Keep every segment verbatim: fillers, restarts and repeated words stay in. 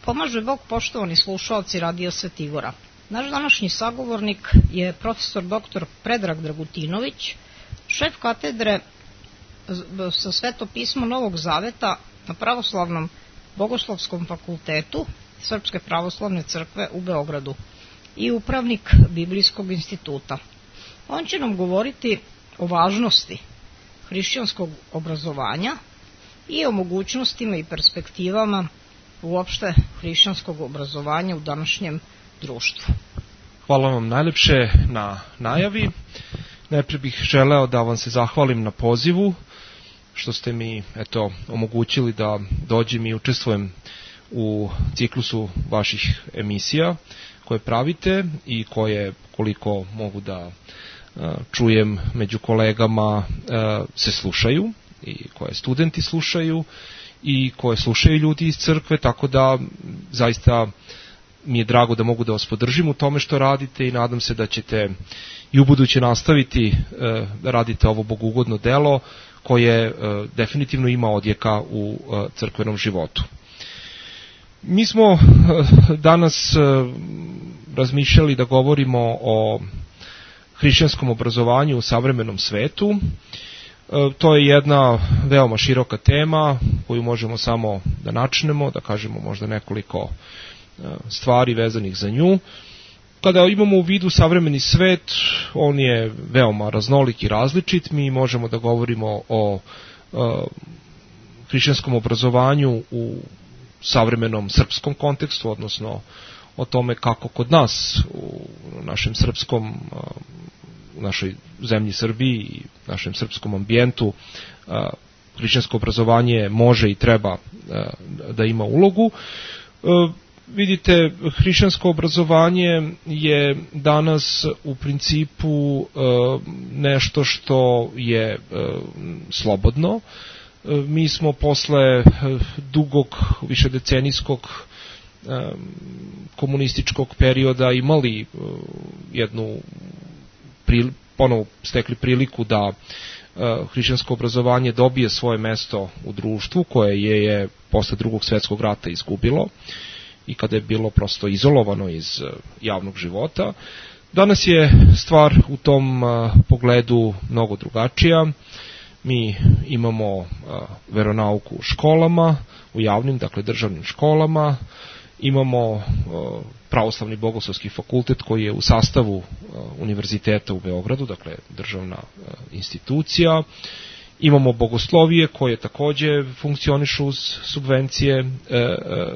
Pomaže Bog, poštovani slušalci Radio Svetigora. Naš današnji sagovornik je profesor doktor Predrag Dragutinović, šef katedre sa Svetopismo Novog Zaveta na Pravoslavnom Bogoslovskom fakultetu Srpske pravoslavne crkve u Beogradu i upravnik Biblijskog instituta. On će nam govoriti o važnosti hrišćanskog obrazovanja i o mogućnostima i perspektivama uopšte hrišćanskog obrazovanja u današnjem društvu. Hvala vam najlepše na najavi. Najprije bih želeo da vam se zahvalim na pozivu, što ste mi eto, omogućili da dođem i učestvujem u ciklusu vaših emisija koje pravite i koje, koliko mogu da čujem među kolegama, se slušaju i koje studenti slušaju i koje slušaju ljudi iz crkve, tako da zaista mi je drago da mogu da vas podržim u tome što radite i nadam se da ćete i ubuduće nastaviti da radite ovo bogugodno delo koje definitivno ima odjeka u crkvenom životu. Mi smo danas razmišljali da govorimo o hrišćanskom obrazovanju u savremenom svetu. To je jedna veoma široka tema koju možemo samo da načnemo, da kažemo možda nekoliko stvari vezanih za nju. Kada imamo u vidu savremeni svet, on je veoma raznolik i različit. Mi možemo da govorimo o hrišćanskom obrazovanju u savremenom srpskom kontekstu, odnosno o tome kako kod nas u našem srpskom, u našoj zemlji Srbiji i našem srpskom ambijentu hrišćansko obrazovanje može i treba da ima ulogu. Vidite, hrišćansko obrazovanje je danas u principu nešto što je slobodno. Mi smo posle dugog, višedecenijskog komunističkog perioda imali jednu, ponovo stekli priliku da hrišćansko obrazovanje dobije svoje mesto u društvu koje je, je posle drugog svjetskog rata izgubilo i kada je bilo prosto izolovano iz javnog života. Danas je stvar u tom pogledu mnogo drugačija. Mi imamo veronauku u školama, u javnim, dakle državnim školama, imamo Pravoslavni bogoslovski fakultet koji je u sastavu Univerziteta u Beogradu, dakle državna institucija. Imamo bogoslovije koje takođe funkcionišu uz subvencije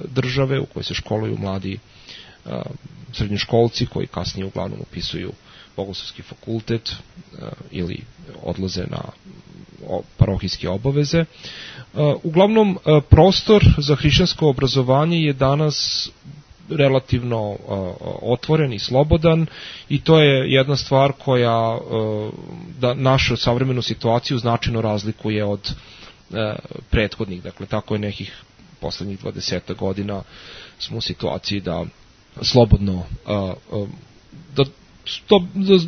države u kojoj se školuju mladi srednjoškolci koji kasnije uglavnom upisuju bogoslovski fakultet ili odlaze na parohijske obaveze. Uglavnom, prostor za hrišćansko obrazovanje je danas relativno otvoren i slobodan i to je jedna stvar koja da našu savremenu situaciju značajno razlikuje od prethodnih. Dakle, tako je nekih poslednjih dvadeset godina smo u situaciji da slobodno da, da,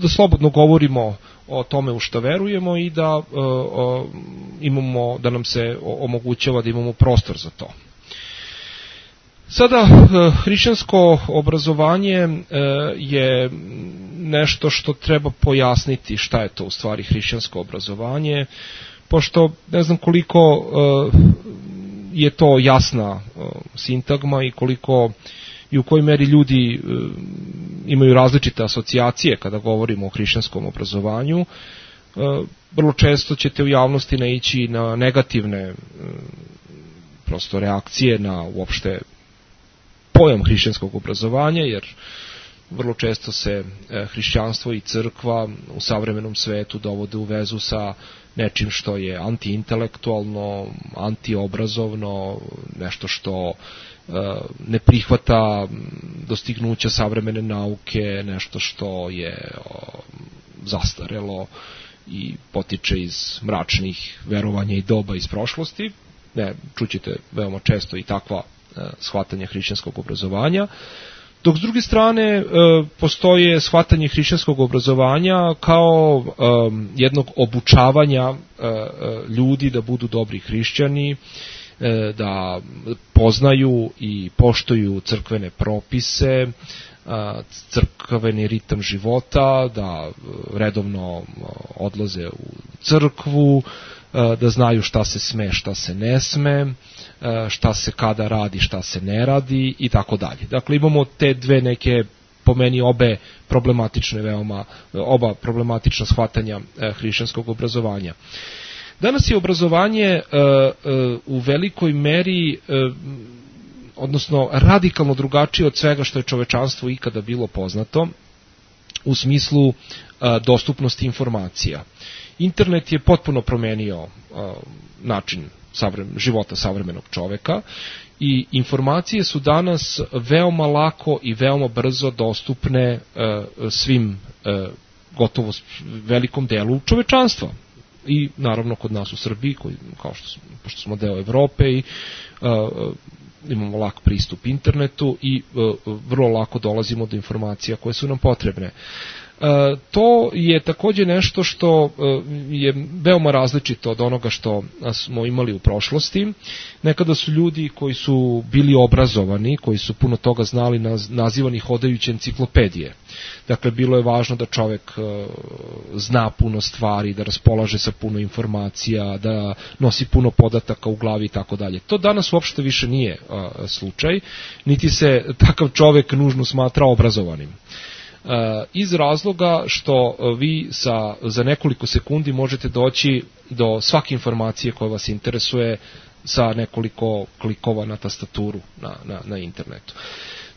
da slobodno govorimo o tome u što verujemo i da uh, imamo, da nam se omogućava da imamo prostor za to. Sada, uh, hrišćansko obrazovanje uh, je nešto što treba pojasniti šta je to u stvari hrišćansko obrazovanje, pošto ne znam koliko uh, je to jasna uh, sintagma i koliko i u kojoj meri ljudi e, imaju različite asocijacije kada govorimo o hrišćanskom obrazovanju. E, vrlo često ćete u javnosti naići na negativne e, prosto reakcije na uopšte pojam hrišćanskog obrazovanja, jer vrlo često se e, hrišćanstvo i crkva u savremenom svetu dovode u vezu sa nečim što je antiintelektualno, antiobrazovno, nešto što ne prihvata dostignuća savremene nauke, nešto što je zastarelo i potiče iz mračnih verovanja i doba iz prošlosti. Ne, čućete veoma često i takva shvatanja hrišćanskog obrazovanja. Dok s druge strane postoje shvatanje hrišćanskog obrazovanja kao jednog obučavanja ljudi da budu dobri hrišćani, da poznaju i poštuju crkvene propise, crkveni ritam života, da redovno odlaze u crkvu, da znaju šta se sme, šta se ne sme, šta se kada radi, šta se ne radi i tako dalje. Dakle, imamo te dve neke, po meni obe problematične veoma, oba problematična shvatanja hrišćanskog obrazovanja. Danas je obrazovanje u velikoj meri, odnosno radikalno drugačije od svega što je čovečanstvo ikada bilo poznato, u smislu dostupnosti informacija. Internet je potpuno promenio način života savremenog čoveka i informacije su danas veoma lako i veoma brzo dostupne svim, gotovo velikom delu čovečanstva. I naravno kod nas u Srbiji, koji, kao što smo, pošto smo deo Evrope i uh, imamo lak pristup internetu i uh, vrlo lako dolazimo do informacija koje su nam potrebne. E, to je takođe nešto što e, je veoma različito od onoga što smo imali u prošlosti. Nekada su ljudi koji su bili obrazovani, koji su puno toga znali, naz, nazivani hodajuće enciklopedije. Dakle, bilo je važno da čovek e, zna puno stvari, da raspolaže sa puno informacija, da nosi puno podataka u glavi i tako dalje. To danas uopšte više nije e, slučaj, niti se takav čovek nužno smatra obrazovanim. Iz razloga što vi sa, za nekoliko sekundi možete doći do svake informacije koja vas interesuje sa nekoliko klikova na tastaturu na, na, na internetu.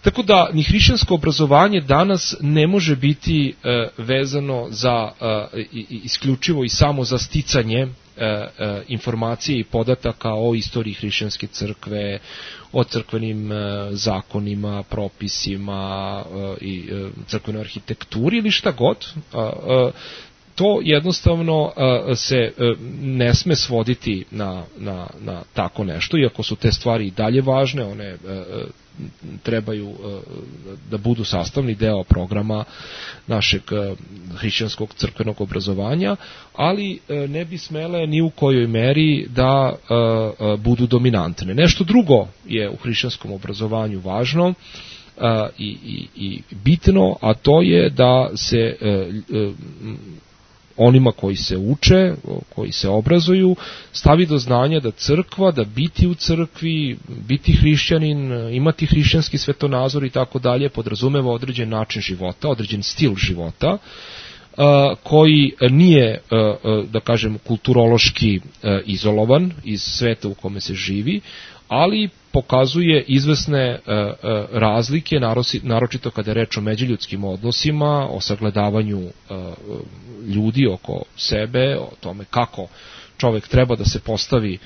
Tako da ni hrišćansko obrazovanje danas ne može biti e, vezano za e, isključivo i samo za sticanje e, e, informacije i podataka o istoriji hrišćanske crkve, o crkvenim e, zakonima, propisima e, i e, crkvenoj arhitekturi ili šta god. E, e, to jednostavno e, se e, ne sme svoditi na, na, na tako nešto, iako su te stvari i dalje važne, one e, trebaju da budu sastavni deo programa našeg hrišćanskog crkvenog obrazovanja, ali ne bi smele ni u kojoj meri da budu dominantne. Nešto drugo je u hrišćanskom obrazovanju važno i, i, i bitno, a to je da se onima koji se uče, koji se obrazuju, stavi do znanja da crkva, da biti u crkvi, biti hrišćanin, imati hrišćanski svetonazor i tako dalje, podrazumeva određen način života, određen stil života, koji nije, da kažem, kulturološki izolovan iz sveta u kome se živi, ali pokazuje izvesne razlike, naročito kada je reč o međuljudskim odnosima, o sagledavanju ljudi oko sebe, o tome kako čovek treba da se postavi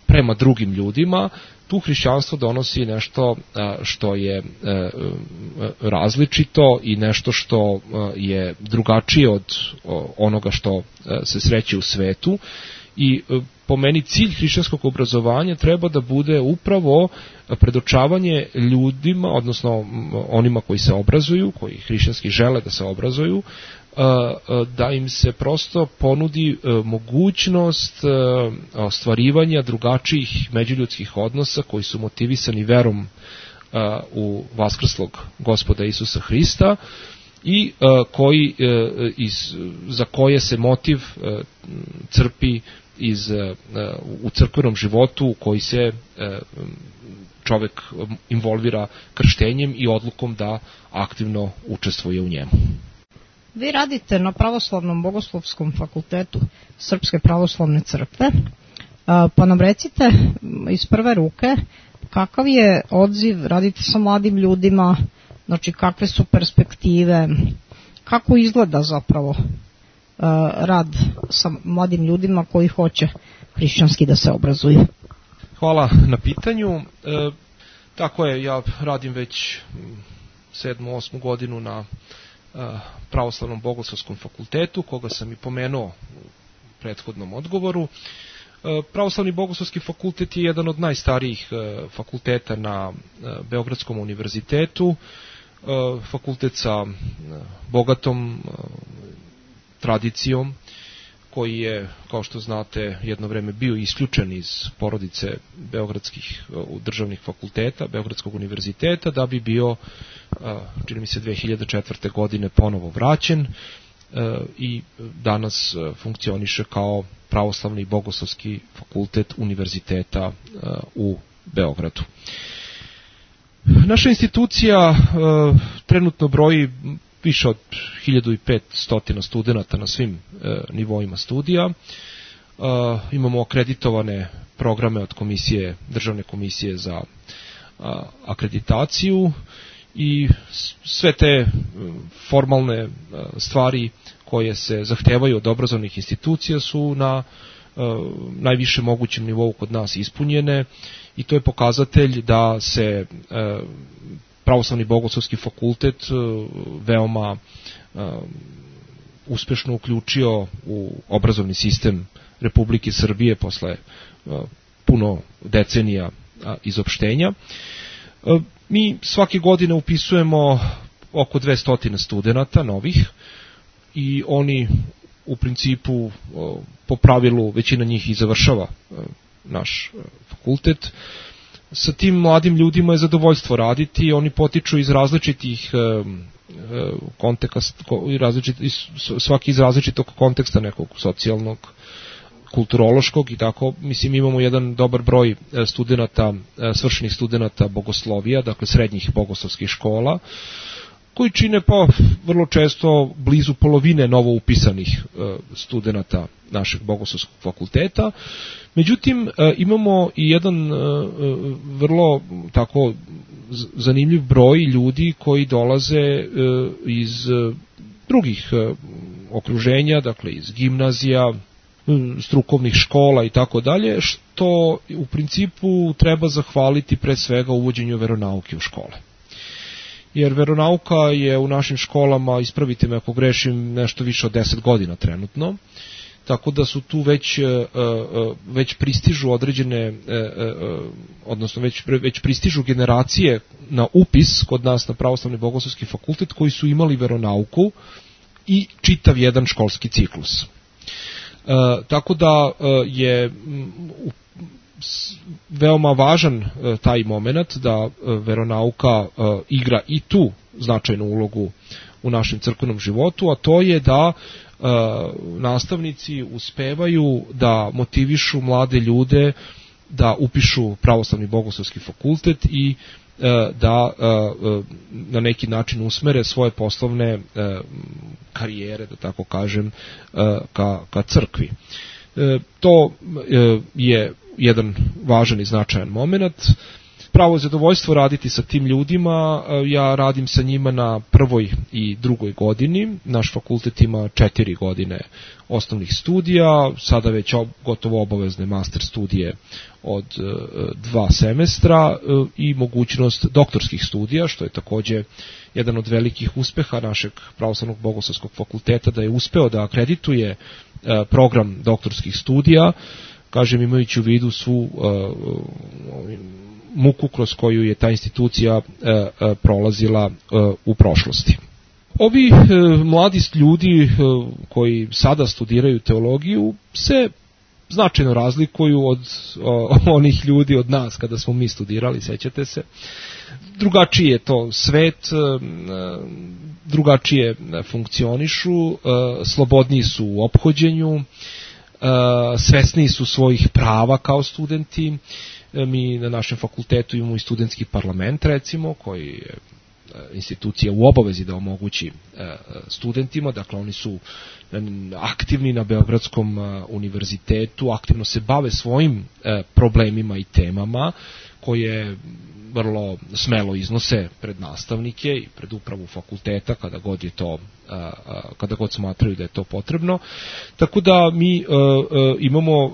prema drugim ljudima. Tu hrišćanstvo donosi nešto što je različito i nešto što je drugačije od onoga što se sreće u svetu. I po meni cilj hrišćanskog obrazovanja treba da bude upravo predočavanje ljudima, odnosno onima koji se obrazuju, koji hrišćanski žele da se obrazuju, da im se prosto ponudi mogućnost ostvarivanja drugačijih međuljudskih odnosa koji su motivisani verom u vaskrslog Gospoda Isusa Hrista i koji, iz, za koje se motiv crpi iz, u crkvenom životu u koji se čovek involvira krštenjem i odlukom da aktivno učestvuje u njemu. Vi radite na Pravoslavnom bogoslovskom fakultetu Srpske pravoslavne crkve, pa nam recite iz prve ruke kakav je odziv, radite sa mladim ljudima, znači kakve su perspektive, kako izgleda zapravo rad sa mladim ljudima koji hoće hrišćanski da se obrazuju. Hvala na pitanju. E, tako je, ja radim već sedmu, osmu godinu na e, Pravoslavnom bogoslovskom fakultetu, koga sam i pomenuo u prethodnom odgovoru. E, Pravoslavni bogoslovski fakultet je jedan od najstarijih e, fakulteta na e, Beogradskom univerzitetu, e, fakultet sa e, bogatom e, tradicijom, koji je, kao što znate, jedno vreme bio isključen iz porodice beogradskih državnih fakulteta, Beogradskog univerziteta, da bi bio, čini mi se, dve hiljade četvrte. godine ponovo vraćen i danas funkcioniše kao pravoslavni i bogoslovski fakultet univerziteta u Beogradu. Naša institucija trenutno broji više od hiljadu petsto studenata na svim e, nivoima studija. E, imamo akreditovane programe od komisije, državne komisije za a, akreditaciju i sve te formalne a, stvari koje se zahtevaju od obrazovnih institucija su na a, najviše mogućem nivou kod nas ispunjene i to je pokazatelj da se a, Pravoslavni bogoslovski fakultet veoma uh, uspešno uključio u obrazovni sistem Republike Srbije posle uh, puno decenija uh, izopštenja. Uh, mi svake godine upisujemo oko dvesta studenata novih i oni u principu uh, po pravilu većina njih i završava uh, naš uh, fakultet. Sa tim mladim ljudima je zadovoljstvo raditi, oni potiču iz različitih e, konteksta, različit, svaki iz različitog konteksta nekog socijalnog, kulturološkog i tako. Mislim, imamo jedan dobar broj studenata, svršenih studenata bogoslovija, dakle srednjih bogoslovskih škola, koji čine pa vrlo često blizu polovine novo upisanih studenata našeg bogoslovskog fakulteta. Međutim, imamo i jedan vrlo tako zanimljiv broj ljudi koji dolaze iz drugih okruženja, dakle iz gimnazija, strukovnih škola i tako dalje, što u principu treba zahvaliti pre svega uvođenju veronauke u škole. Jer veronauka je u našim školama, ispravite me ako grešim, nešto više od deset godina trenutno, tako da su tu već, već pristižu određene, odnosno već, već pristižu generacije na upis kod nas na Pravoslavni bogoslovski fakultet koji su imali veronauku i čitav jedan školski ciklus. Tako da je veoma važan taj moment da veronauka igra i tu značajnu ulogu u našem crkvenom životu, a to je da nastavnici uspevaju da motivišu mlade ljude da upišu Pravoslavni bogoslovski fakultet i da na neki način usmere svoje poslovne karijere, da tako kažem, ka, ka crkvi. To je jedan važan i značajan moment. Pravo zadovoljstvo raditi sa tim ljudima, ja radim sa njima na prvoj i drugoj godini, naš fakultet ima četiri godine osnovnih studija, sada već gotovo obavezne master studije od dva semestra i mogućnost doktorskih studija, što je takođe jedan od velikih uspeha našeg Pravoslavnog bogoslovskog fakulteta, da je uspeo da akredituje program doktorskih studija, kažem imajući u vidu svu uh, muku kroz koju je ta institucija uh, uh, prolazila uh, u prošlosti. Ovi uh, mladi ljudi uh, koji sada studiraju teologiju se značajno razlikuju od uh, onih ljudi od nas kada smo mi studirali, sećate se. Drugačiji je to svet, uh, drugačije funkcionišu, uh, slobodniji su u ophođenju, Uh, svesniji su svojih prava kao studenti. Uh, mi na našem fakultetu imamo i studentski parlament, recimo, koji je uh, institucija u obavezi da omogući uh, studentima, dakle oni su aktivni na Beogradskom uh, univerzitetu, aktivno se bave svojim uh, problemima i temama koje vrlo smelo iznose pred nastavnike i pred upravu fakulteta kada god je to kada god smatraju da je to potrebno. Tako da mi imamo,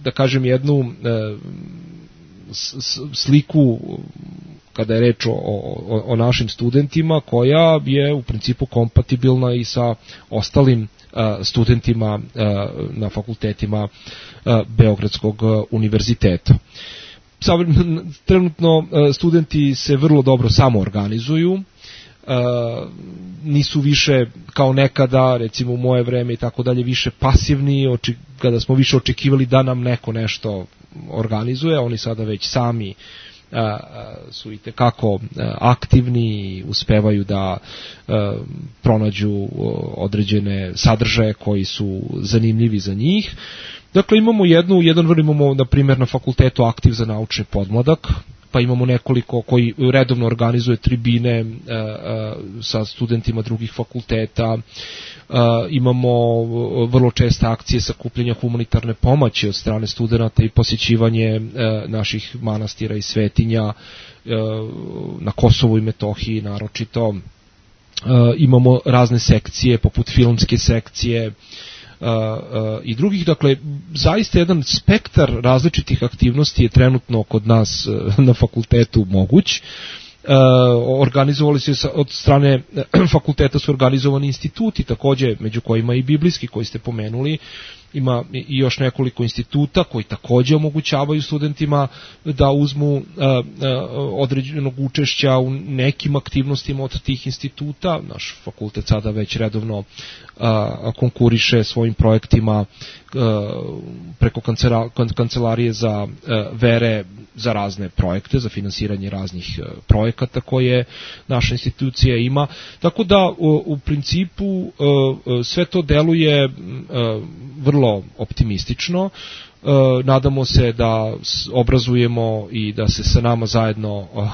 da kažem, jednu sliku kada je reč o, o, o našim studentima koja je u principu kompatibilna i sa ostalim studentima na fakultetima Beogradskog univerziteta. Trenutno studenti se vrlo dobro samoorganizuju, nisu više kao nekada, recimo u moje vreme i tako dalje, više pasivni, oči, kada smo više očekivali da nam neko nešto organizuje, oni sada već sami a, su i tekako aktivni, uspevaju da a, pronađu određene sadržaje koji su zanimljivi za njih. Dakle, imamo jednu, jedan vrlo imamo, na primjer, na fakultetu aktiv za naučni podmladak, pa imamo nekoliko koji redovno organizuje tribine e, e, sa studentima drugih fakulteta, e, imamo vrlo česte akcije sakupljanja humanitarne pomoći od strane studenata i posjećivanje e, naših manastira i svetinja e, na Kosovu i Metohiji naročito. E, imamo razne sekcije, poput filmske sekcije, Uh, uh, i drugih, dakle, zaista jedan spektar različitih aktivnosti je trenutno kod nas uh, na fakultetu moguć. Uh, organizovali se od strane uh, fakulteta su organizovani instituti, takođe među kojima i biblijski koji ste pomenuli. Ima i još nekoliko instituta koji takođe omogućavaju studentima da uzmu uh, uh, određenog učešća u nekim aktivnostima od tih instituta. Naš fakultet sada već redovno uh, konkuriše svojim projektima uh, preko kancela, kancelarije za uh, vere za razne projekte, za finansiranje raznih uh, projekata koje naša institucija ima. Tako da u, u principu uh, sve to deluje uh, vrlo optimistično. E, nadamo se da obrazujemo i da se sa nama zajedno e, e,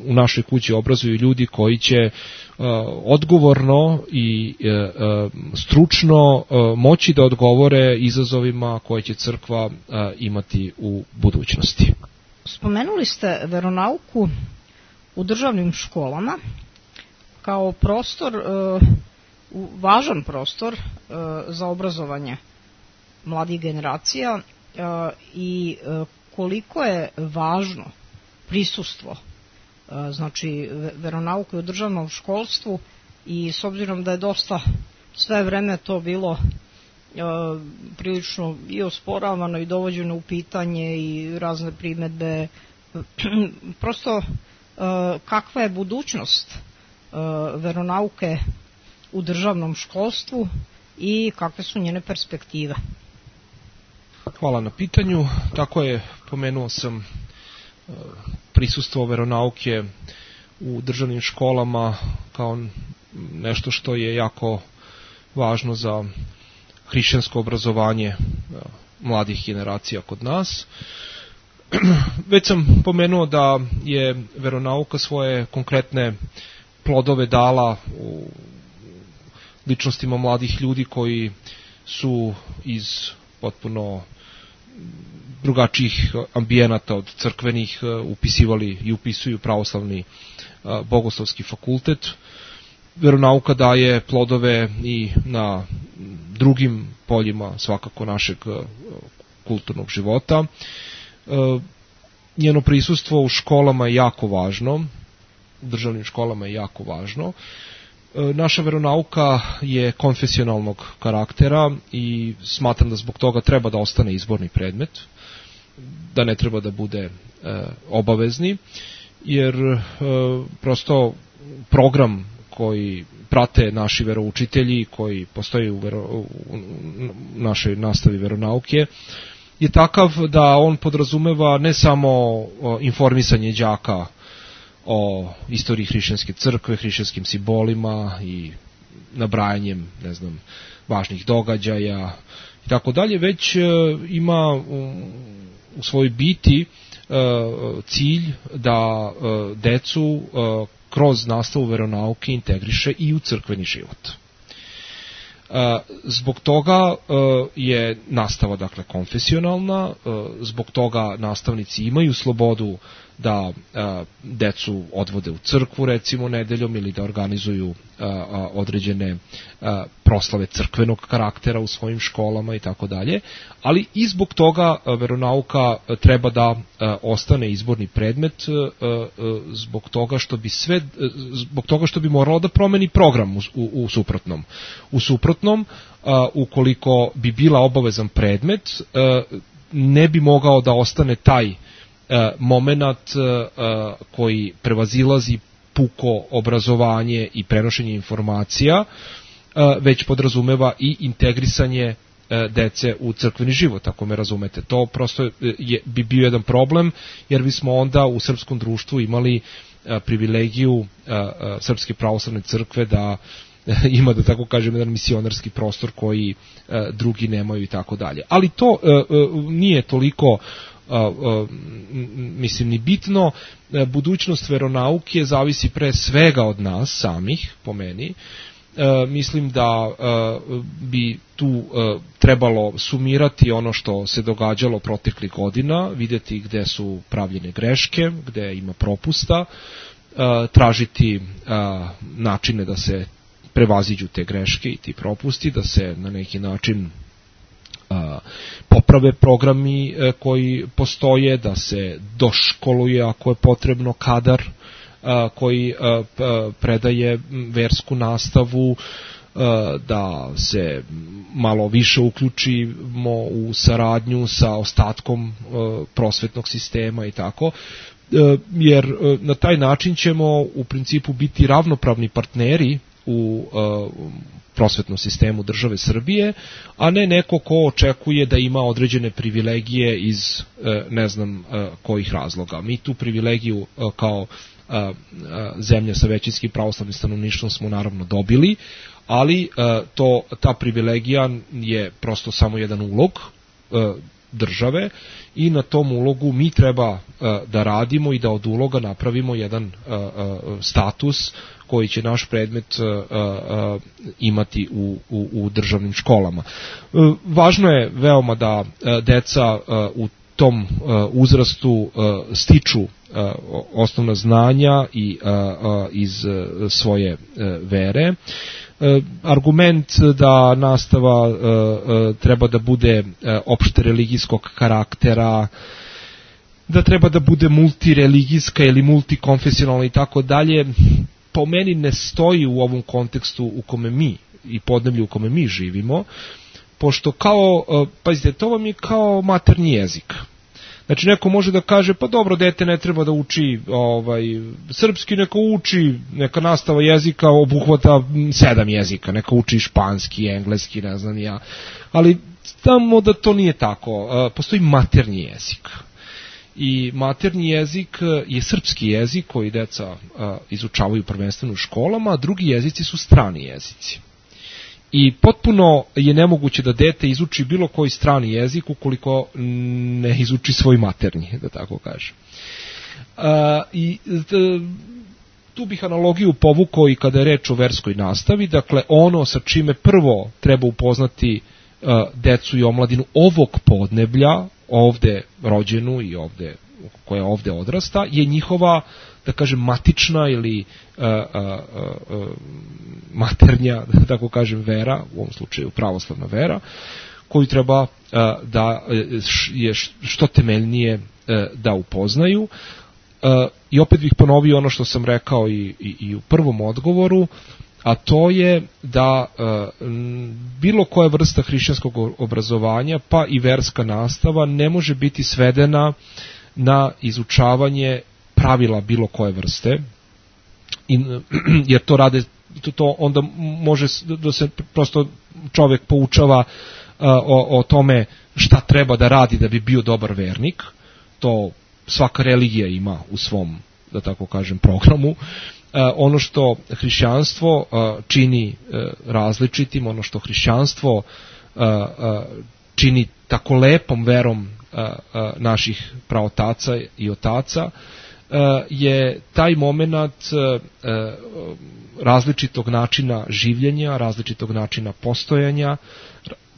u našoj kući obrazuju ljudi koji će e, odgovorno i e, e, stručno e, moći da odgovore izazovima koje će crkva e, imati u budućnosti. Spomenuli ste veronauku u državnim školama kao prostor e, važan prostor e, za obrazovanje mladih generacija e, i e, koliko je važno prisustvo e, znači veronauke u državnom školstvu, i s obzirom da je dosta sve vreme to bilo e, prilično i osporavano i dovođeno u pitanje i razne primedbe, prosto e, kakva je budućnost e, veronauke u državnom školstvu i kakve su njene perspektive? Hvala na pitanju. Tako je, pomenuo sam prisustvo veronauke u državnim školama kao nešto što je jako važno za hrišćansko obrazovanje mladih generacija kod nas. Već sam pomenuo da je veronauka svoje konkretne plodove dala u ličnostima mladih ljudi koji su iz potpuno drugačijih ambijenata od crkvenih upisivali i upisuju pravoslavni bogoslovski fakultet. Veronauka daje plodove i na drugim poljima svakako našeg kulturnog života. Njeno prisustvo u školama je jako važno, u državnim školama je jako važno. Naša veronauka je konfesionalnog karaktera i smatram da zbog toga treba da ostane izborni predmet, da ne treba da bude e, obavezni, jer e, prosto program koji prate naši veroučitelji, koji postoji u, vero, u našoj nastavi veronauke, je takav da on podrazumeva ne samo informisanje đaka o istoriji hrišćanske crkve, hrišćanskim simbolima i nabrajanjem, ne znam, važnih događaja i tako dalje, već e, ima u, u svojoj biti e, cilj da e, decu e, kroz nastavu veronauke integriše i u crkveni život. E, zbog toga e, je nastava, dakle, konfesionalna, e, zbog toga nastavnici imaju slobodu da a, decu odvode u crkvu, recimo, nedeljom, ili da organizuju a, a, određene a, proslave crkvenog karaktera u svojim školama i tako dalje, ali i zbog toga a, veronauka a, treba da a, ostane izborni predmet, a, a, zbog toga što bi sve, a, zbog toga što bi moralo da promeni program u, u, u suprotnom. U suprotnom, a, ukoliko bi bila obavezan predmet, a, ne bi mogao da ostane taj momenat koji prevazilazi puko obrazovanje i prenošenje informacija, već podrazumeva i integrisanje dece u crkveni život, ako me razumete. To prosto je, bi bio jedan problem, jer bismo onda u srpskom društvu imali privilegiju Srpske pravoslavne crkve da ima, da tako kažem, jedan misionarski prostor koji drugi nemaju i tako dalje. Ali to nije toliko mislim ni bitno. Budućnost veronauke zavisi pre svega od nas samih, po meni. E, mislim da e, bi tu e, trebalo sumirati ono što se događalo proteklih godina, vidjeti gde su pravljene greške, gde ima propusta, e, tražiti e, načine da se prevaziđu te greške i ti propusti, da se na neki način a, poprave programi a, koji postoje, da se doškoluje ako je potrebno kadar a, koji a, a, predaje versku nastavu, a, da se malo više uključimo u saradnju sa ostatkom a, prosvetnog sistema i tako, a, jer a, na taj način ćemo u principu biti ravnopravni partneri u uh, prosvetnom sistemu države Srbije, a ne neko ko očekuje da ima određene privilegije iz uh, ne znam uh, kojih razloga. Mi tu privilegiju uh, kao uh, uh, zemlja sa većinskim pravoslavnim stanovništvom smo naravno dobili, ali uh, to, ta privilegija je prosto samo jedan ulog uh, države i na tom ulogu mi treba uh, da radimo i da od uloga napravimo jedan uh, uh, status koji će naš predmet uh, uh, imati u, u, u državnim školama. Uh, važno je veoma da uh, deca uh, u tom uh, uzrastu uh, stiču uh, osnovna znanja i uh, uh, iz uh, svoje uh, vere. Uh, argument da nastava uh, uh, treba da bude uh, opšte religijskog karaktera, da treba da bude multireligijska ili multikonfesionalna i tako dalje, po meni ne stoji u ovom kontekstu u kome mi i podneblju u kome mi živimo, pošto kao, pazite, to vam je kao maternji jezik. Znači neko može da kaže, pa dobro, dete ne treba da uči ovaj, srpski, neka uči, neka nastava jezika obuhvata sedam jezika, neka uči španski, engleski, ne znam ja, ali znamo da to nije tako, postoji maternji jezik. I maternji jezik je srpski jezik koji deca a, izučavaju prvenstveno u školama, a drugi jezici su strani jezici. I potpuno je nemoguće da dete izuči bilo koji strani jezik ukoliko ne izuči svoj maternji, da tako kažem. A, i d, tu bih analogiju povukao i kada je reč o verskoj nastavi, dakle ono sa čime prvo treba upoznati a, decu i omladinu ovog podneblja, ovde rođenu i ovde, koja ovde odrasta, je njihova, da kažem, matična ili uh, uh, uh, maternja, da tako kažem, vera, u ovom slučaju pravoslavna vera, koju treba uh, da je što temeljnije uh, da upoznaju. Uh, I opet bih ponovio ono što sam rekao i, i, i u prvom odgovoru, a to je da e, bilo koja vrsta hrišćanskog obrazovanja, pa i verska nastava, ne može biti svedena na izučavanje pravila bilo koje vrste, I, jer to rade, to, to onda može da se prosto čovjek poučava a, o, o tome šta treba da radi da bi bio dobar vernik. To svaka religija ima u svom, da tako kažem, programu. Uh, ono što hrišćanstvo uh, čini uh, različitim, ono što hrišćanstvo uh, uh, čini tako lepom verom uh, uh, naših praotaca i otaca, uh, je taj moment uh, uh, različitog načina življenja, različitog načina postojanja,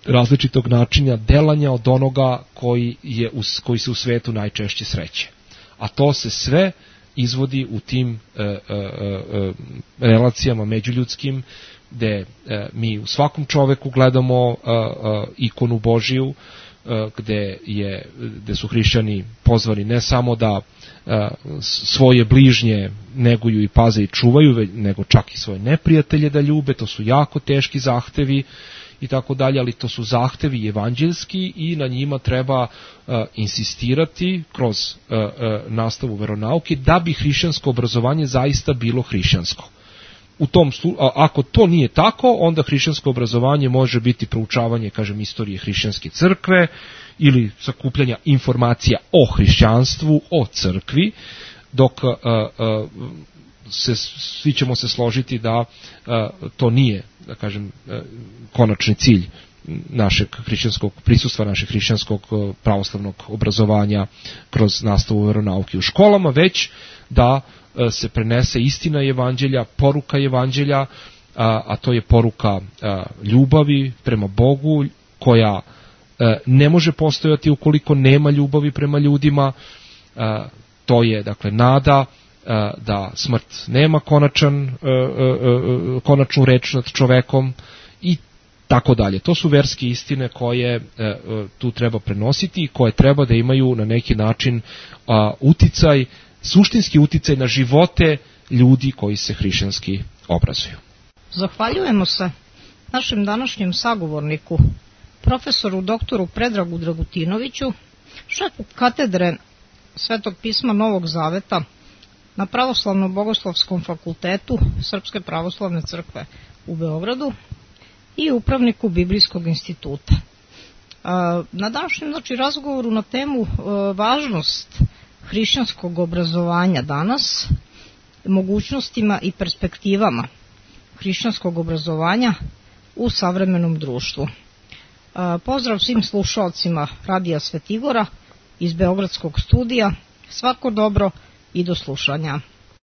različitog načina delanja od onoga koji, je u, koji se u svetu najčešće sreće. A to se sve izvodi u tim e, e, e, relacijama međuljudskim, gde e, mi u svakom čoveku gledamo e, e, ikonu Božiju, e, gde, je, gde su hrišćani pozvani ne samo da e, svoje bližnje neguju i paze i čuvaju, nego čak i svoje neprijatelje da ljube. To su jako teški zahtevi i tako dalje, ali to su zahtevi evanđeljski i na njima treba uh, insistirati kroz uh, uh, nastavu veronauke da bi hrišćansko obrazovanje zaista bilo hrišćansko. U tom slu, a, ako to nije tako, onda hrišćansko obrazovanje može biti proučavanje, kažem, istorije hrišćanske crkve ili sakupljanja informacija o hrišćanstvu, o crkvi, dok a, a, se, svi ćemo se složiti da a, to nije, da kažem, a, konačni cilj našeg hrišćanskog prisustva, našeg hrišćanskog pravoslavnog obrazovanja kroz nastavu veronauke u školama, već da se prenese istina evanđelja, poruka evanđelja, a, a to je poruka a, ljubavi prema Bogu, koja a, ne može postojati ukoliko nema ljubavi prema ljudima. A, to je, dakle, nada a, da smrt nema konačan, a, a, a, konačnu reč nad čovekom i tako dalje. To su verske istine koje a, a, tu treba prenositi i koje treba da imaju na neki način a, uticaj, suštinski uticaj na živote ljudi koji se hrišćanski obrazuju. Zahvaljujemo se našem današnjem sagovorniku, profesoru doktoru Predragu Dragutinoviću, šefu katedre Svetog pisma Novog Zaveta na Pravoslavno-bogoslovskom fakultetu Srpske pravoslavne crkve u Beogradu i upravniku Biblijskog instituta. Na današnjem, znači, razgovoru na temu važnost hrišćanskog obrazovanja danas, mogućnostima i perspektivama hrišćanskog obrazovanja u savremenom društvu. Pozdrav svim slušalcima Radija Svetigora iz Beogradskog studija, svako dobro i do slušanja.